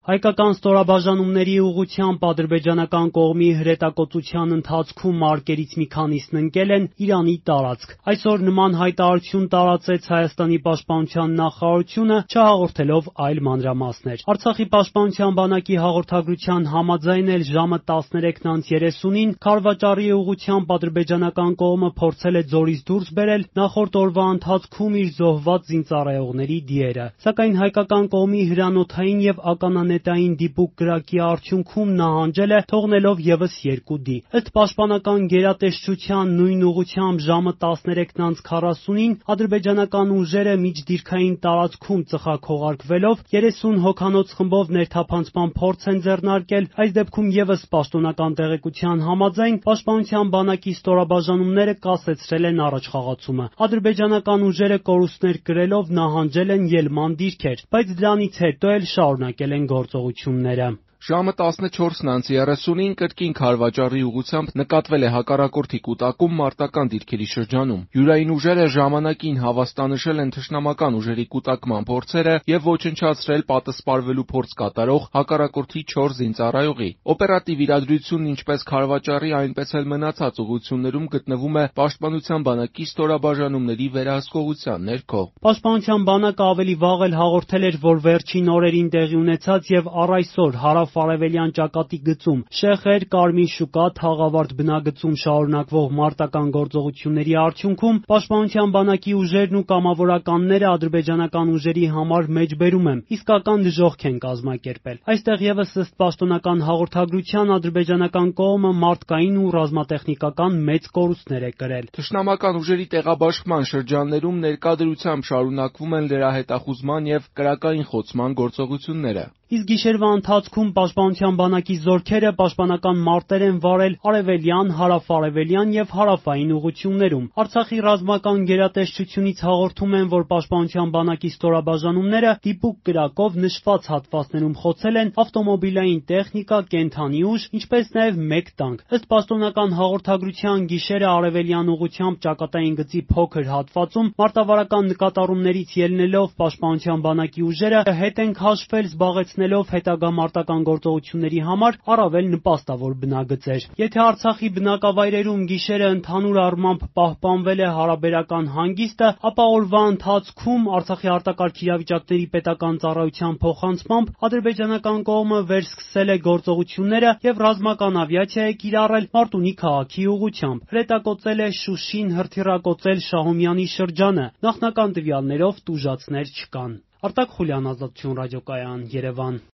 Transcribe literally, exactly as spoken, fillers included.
Հայկական ստորաբաժանումների ուղղությամբ ադրբեջանական կողմի հրետակոծության ընթացքում մարկերից մի քանիսն ընկել են Իրանի տարածք։ Այսօր նման հայտարարություն տարածեց Հայաստանի պաշտպանության նախարարությունը, չհաղորդելով այլ մանրամասներ։ Արցախի պաշտպանության բանակի հաղորդագրության համաձայն էլ ժամը տասներեքն անց երեսունին Քարվաճառի ուղղությամբ ադրբեջանական կողմը փորձել է ձորից դուրս բերել նախորդ օրվա ընթացքում իր զոհված զինծառայողների դիերը, սակայն հայկական կողմի հրանոթային եւ ականանետային դիպուկ կրակի արդյունքում նահանջել է, թողնելով եւս երկու դի։ Ըստ պաշտպանական գերատեսչության նույն ուղղությամբ ժամը տասներեքն անց քառասունին ադրբեջանական ուժերը միջդիրքային տարածքում ծխախողարկվելով երեսուն հոգանոց խմբով ներթափանցման փորձ են ձեռնարկել, այս դեպքում եւս պաշտոնական տեղեկության համաձայն պաշտպանության բանակի ստորաբաժանումները կասեցրել են առաջխաղացումը։ Ադրբեջանական ուժերը կորուստներ կրելով նահանջել են ելման դիրքեր, բայց դրանից հետո էլ շարունակել են գործողությունները։ Ժամը տասնչորսն անց երեսունին կրկին Քարվաճառի ուղղությամբ նկատվել է հակառակորդի կուտակում մարտական դիրքերի շրջանում։ Յուրային ուժերը ժամանակին հավաստանշել են թշնամական ուժերի կուտակման փորձերը եւ ոչնչացրել պատասպարվելու փորձ կատարող հակառակորդի չորս զինծառայողի։ Օպերատիվ իրադրությունն ինչպես Քարվաճառի, այնպես էլ մնացած ուղղություններում գտնվում է պաշտպանության բանակի ստորաբաժանումների վերահսկողության ներքո։ Պաշտպանության բանակը ավելի վաղ էլ հաղորդել էր, որ վերջին օրերին տեղի ունեցած եւ առ այսօր հարավ-արևելյան ճակատի գծում Շեխեր, Կարմիր շուկա, Թաղավարտ բնագծում շարունակվող մարտական գործողությունների արդյունքում պաշտպանության բանակի ուժերն ու կամավորականները ադրբեջանական ուժերի համար մեջբերում են, իսկական դժոխք են կազմակերպել։ Այստեղ եւս ըստ պաշտոնական հաղորդագրության ադրբեջանական կողմը մարդկային ու ռազմատեխնիկական մեծ կորուստներ է կրել։ Թշնամական ուժերի տեղաբաշխման շրջաններում ներկա դրությամբ շարունակվում են լրահետախուզման եւ կրակային խոցման գործողությունները։ Իսկ գիշերվա ընթացքում պաշտպանության բանակի զորքերը պաշտպանական մարտեր են վարել արևելյան, հարավ-արևելյան եւ հարավային ուղղություններում։ Արցախի ռազմական գերատեսչությունից հաղորդում են, որ պաշտպանության բանակի ստորաբաժանումները դիպուկ կրակով նշված հատվածներում խոցել են ավտոմոբիլային տեխնիկա, կենդանի ուժ, ինչպես նաեւ մեկ տանկ։ Ըստ պաշտոնական հաղորդագրության գիշերը արևելյան ուղղությամբ ճակատային գծի փոքր հատվածում մարտավարական նկատառումներից ելնելով պաշտպանության բանակի ուժերը հետ են քաշվել զբաղեցնելով հետագա մարտական գործողությունների համար առավել նպաստավոր բնագծեր։ Եթե Արցախի բնակավայրերում գիշերը ընդհանուր առմամբ պահպանվել է հարաբերական հանգիստը, ապա օրվա ընթացքում Արցախի արտակարգ իրավիճակների պետական ծառայության փոխանցմամբ ադրբեջանական կողմը վերսկսել է գործողությունները եւ ռազմական ավիացիա է կիրառել Մարտունի քաղաքի ուղղությամբ։ Հրետակոծել է Շուշին, հրթիռակոծել Շահումյանի շրջանը։ Նախնական տվյալներով տուժածներ չկան։ Արտակ Խուլյան, Ազատություն ռադիոկայան, Երևան։